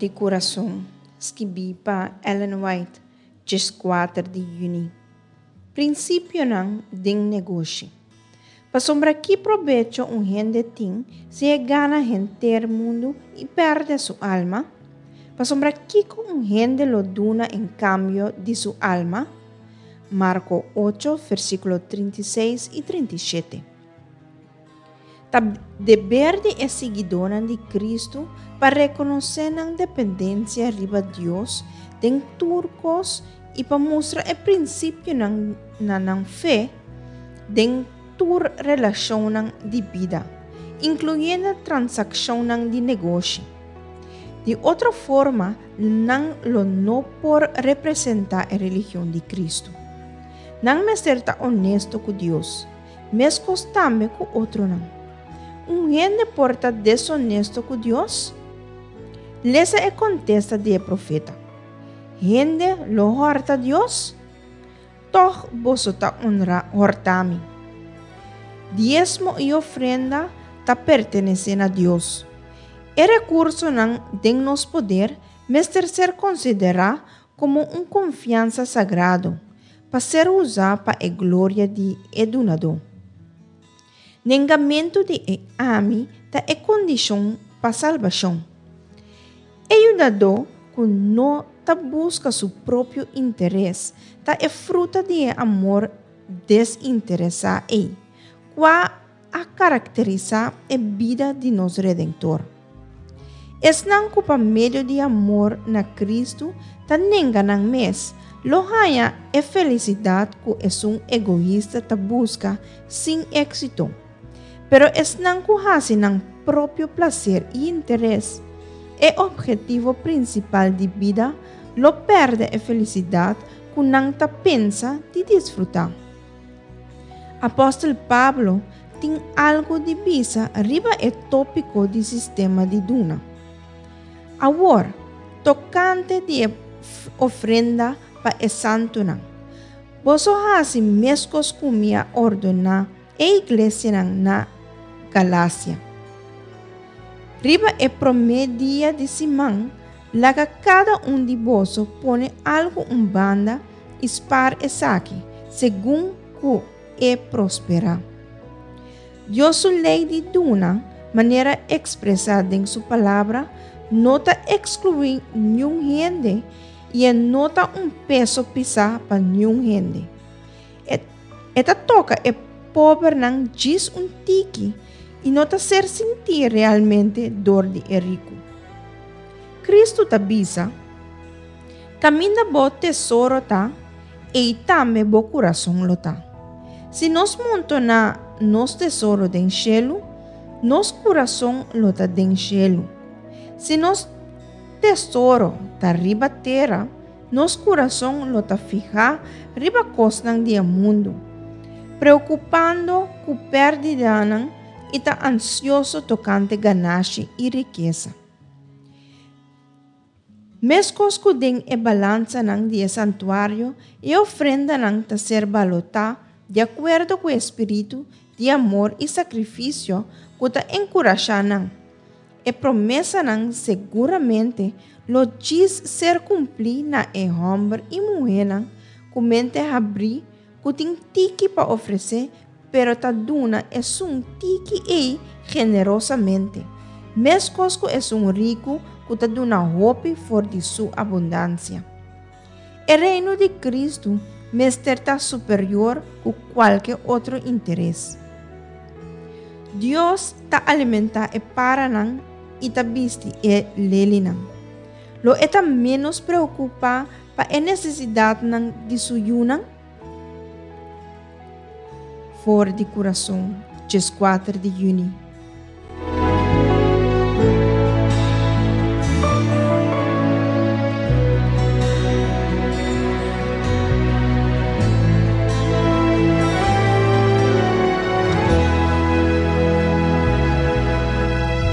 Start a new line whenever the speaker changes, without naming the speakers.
di Kurason, skibí pa Ellen White, 14 di yüni. Prinsipionan den negoshi. Pasobra ki probecho un hende tin si e gana henter mundu i pèrdè su alma? Pasobra kiko un hende lo duna en kambio di su alma? Marko ocho, versíkulo 36 i 37. Ta deber di e siguidónan di Kristu pa rekonosé nan dependensia riba Dios den tur kos i pa mustra e prinsipionan na nan fe den tur relashonnan di bida, inkluyendo transakshonnan di negoshi. Di otro forma, nan lo no por representá e religion di Kristu. Nan mester ta onesto ku Dios. Meskos tambe ku otronan. Un hende por ta desonesto ku Dios? Lesa e kontesta di e profeta. Hende lo hòrta Dios? Tòg boso ta onra hòrta mi. Diesmo i ofrenda ta pertenesé na Dios. E rekursonan den nos poder mester ser konsiderá komo un konfiansa sagrado pa ser usá pa e gloria di e Dunadó. Nengamentu di e ami ta e kondishon pa salbashon. E yudadó ku no ta buska su propio interes ta e fruta di e amor desinteresá ei, kua a karakterisá e bida di nos Redentor. Esnan ku pa medio di amor na Kristu ta nenga nan mes, lo haña e felisidat ku esun egoista ta buska sin éksito. Pero esnan ku hasi nan propio plaser i interes e ophetivo prinsipal di bida lo pèrdè e felisidat ku nan ta pensa di disfrutá. Apòstel Pablo tin algu di bisa riba e tópiko di sistema di duna. Awor, tokante di e ofrenda pa e santunan, boso hasi meskos ku mi a ordoná e iglesianan na Galasia. Riba e promé dia di siman, laga kada un di boso pone algu un banda i spar esaki segun ku e prosperá. Dios su lei di duna, manera ekspresá den su Palabra, no ta ekskluí niun hende i e no ta un peso pisá pa niun hende. E, e ta toka e pobernan djis un tiki i no ta ser sintí realmente dor di e riku. Kristu ta bisa, Kaminda bo tesoro ta, ei tambe bo kurason lo ta. Si nos montoná nos tesoro den shelu, nos kurason lo ta den shelu. Si nos tesoro ta riba tera, nos kurason lo ta fihá riba kosnan di e mundu, preokupando ku pèrdidanan i ta ansioso tokante ganashi i rikesa. Meskos ku den e balansanan di e santuario, e ofrendanan ta ser balotá di akuerdo ku e spiritu di amor i sakrifisio ku ta enkurashá nan. E promesanan seguramente lo djis ser kumplí na e hòmber i muhénan ku mente habrí ku tin tiki pa ofresé pero ta duna esun tiki ei generosamente, meskos ku esun riku ku ta duna hopi for di su abundansia. E Reino di Kristu mester ta superior ku kualke otro interes. Dios ta alimentá e paranan i ta bisti e lelinan. Lo e ta ménos preokupá pa e nesesidatnan di su yunan? For di kurason, 14 di yüni.